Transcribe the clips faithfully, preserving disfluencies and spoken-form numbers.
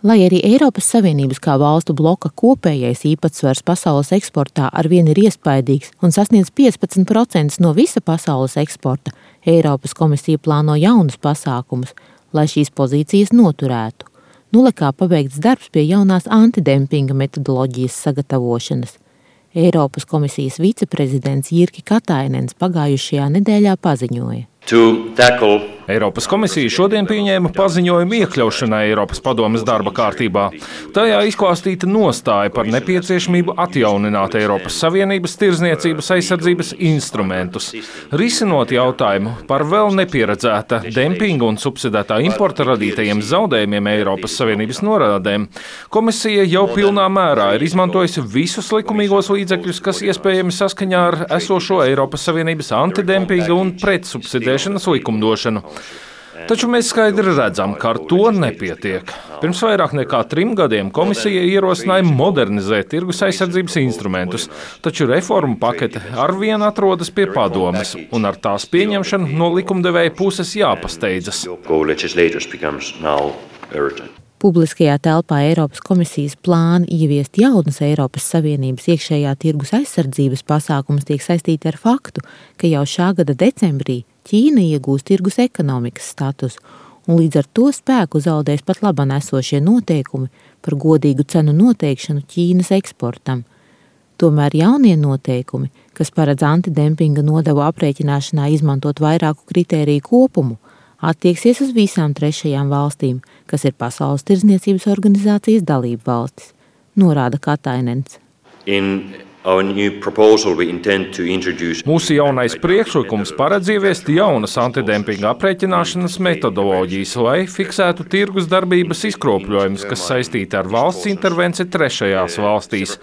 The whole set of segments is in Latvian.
Lai arī Eiropas Savienības kā valstu bloka kopējais īpatsvars pasaules eksportā arvien ir iespaidīgs un sasniedz piecpadsmit procentus no visa pasaules eksporta, Eiropas komisija plāno jaunus pasākumus, lai šīs pozīcijas noturētu. Nulekā pabeigts darbs pie jaunās antidempinga metodoloģijas sagatavošanas. Eiropas komisijas viceprezidents Jyrki Katainens pagājušajā nedēļā paziņoja. Eiropas komisija šodien pieņēma paziņojumu iekļaušanai Eiropas padomes darba kārtībā. Tajā izklāstīta nostāja par nepieciešamību atjaunināt Eiropas Savienības tirdzniecības aizsardzības instrumentus, risinot jautājumu par vēl nepieredzēta dempinga un subsidētā importa radītajiem zaudējumiem Eiropas Savienības norādēm. Komisija jau pilnā mērā ir izmantojusi visus likumīgos līdzekļus, kas iespējami saskaņā ar esošo Eiropas Savienības antidempinga un pretsubsidēšanas likumdošanu. Taču mēs skaidri redzam, ka ar to nepietiek. Pirms vairāk nekā trim gadiem komisija ierosināja modernizēt tirgus aizsardzības instrumentus, taču reformu pakete arvien atrodas pie padomes, un ar tās pieņemšanu no likumdevēja puses jāpasteidzas. Publiskajā telpā Eiropas komisijas plāni ieviest jaunas Eiropas Savienības iekšējā tirgus aizsardzības pasākumus tiek saistīti ar faktu, ka jau šā gada decembrī Ķīna iegūs tirgus ekonomikas statusu, un līdz ar to spēku zaudēs pat labāk esošie noteikumi par godīgu cenu noteikšanu Ķīnas eksportam. Tomēr jaunie noteikumi, kas paredz antidempinga nodevu aprēķināšanā izmantot vairāku kritēriju kopumu, attieksies uz visām trešajām valstīm, kas ir Pasaules tirdzniecības organizācijas dalību valstis, norāda Katainens. Mūsu jaunais priekšlikums paredz ieviest jaunas antidempinga aprēķināšanas metodoloģijas, lai fiksētu tirgus darbības izkropļojumus, kas saistīti ar valsts intervenciju trešajās valstīs.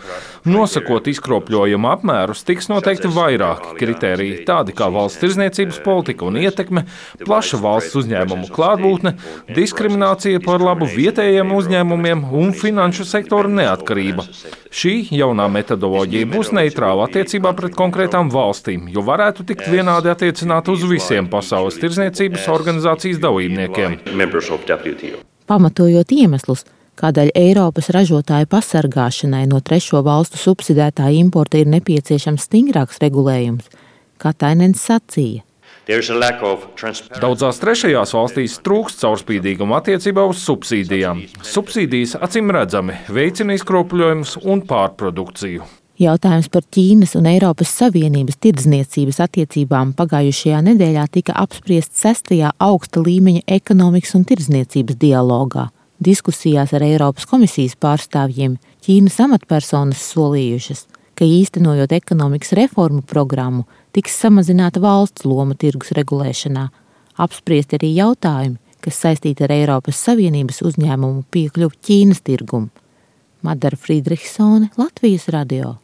Nosakot izkropļojumu apmērus, tiks noteikti vairāki kritēriji, tādi kā valsts tirdzniecības politika un ietekme, plaša valsts uzņēmumu klātbūtne, diskriminācija par labu vietējiem uzņēmumiem un finanšu sektora neatkarība. Šī jaunā metodoloģija būs neitrāla attiecībā pret konkrētām valstīm, jo varētu tikt vienādi attiecināt uz visiem Pasaules tirdzniecības organizācijas dalībniekiem. Pamatojot iemeslus, kādēļ Eiropas ražotāju pasargāšanai no trešo valstu subsidētā importa ir nepieciešams stingrāks regulējums, Katainens sacīja. Daudzās trešajās valstīs trūkst caurspīdīguma attiecībā uz subsīdijām. Subsīdijas acīm redzami veicina izkropļojumus un pārprodukciju. Jautājums par Ķīnas un Eiropas Savienības tirdzniecības attiecībām pagājušajā nedēļā tika apspriests sestajā augsta līmeņa ekonomikas un tirdzniecības dialogā. Diskusijās ar Eiropas komisijas pārstāvjiem Ķīnas amatpersonas solījušas, ka īstenojot ekonomikas reformu programmu, tiks samazināta valsts loma tirgus regulēšanā, apspriesti arī jautājumi, kas saistīti ar Eiropas Savienības uzņēmumu piekļuvi Ķīnas tirgumu. Madara Friedrichsone, Latvijas radio.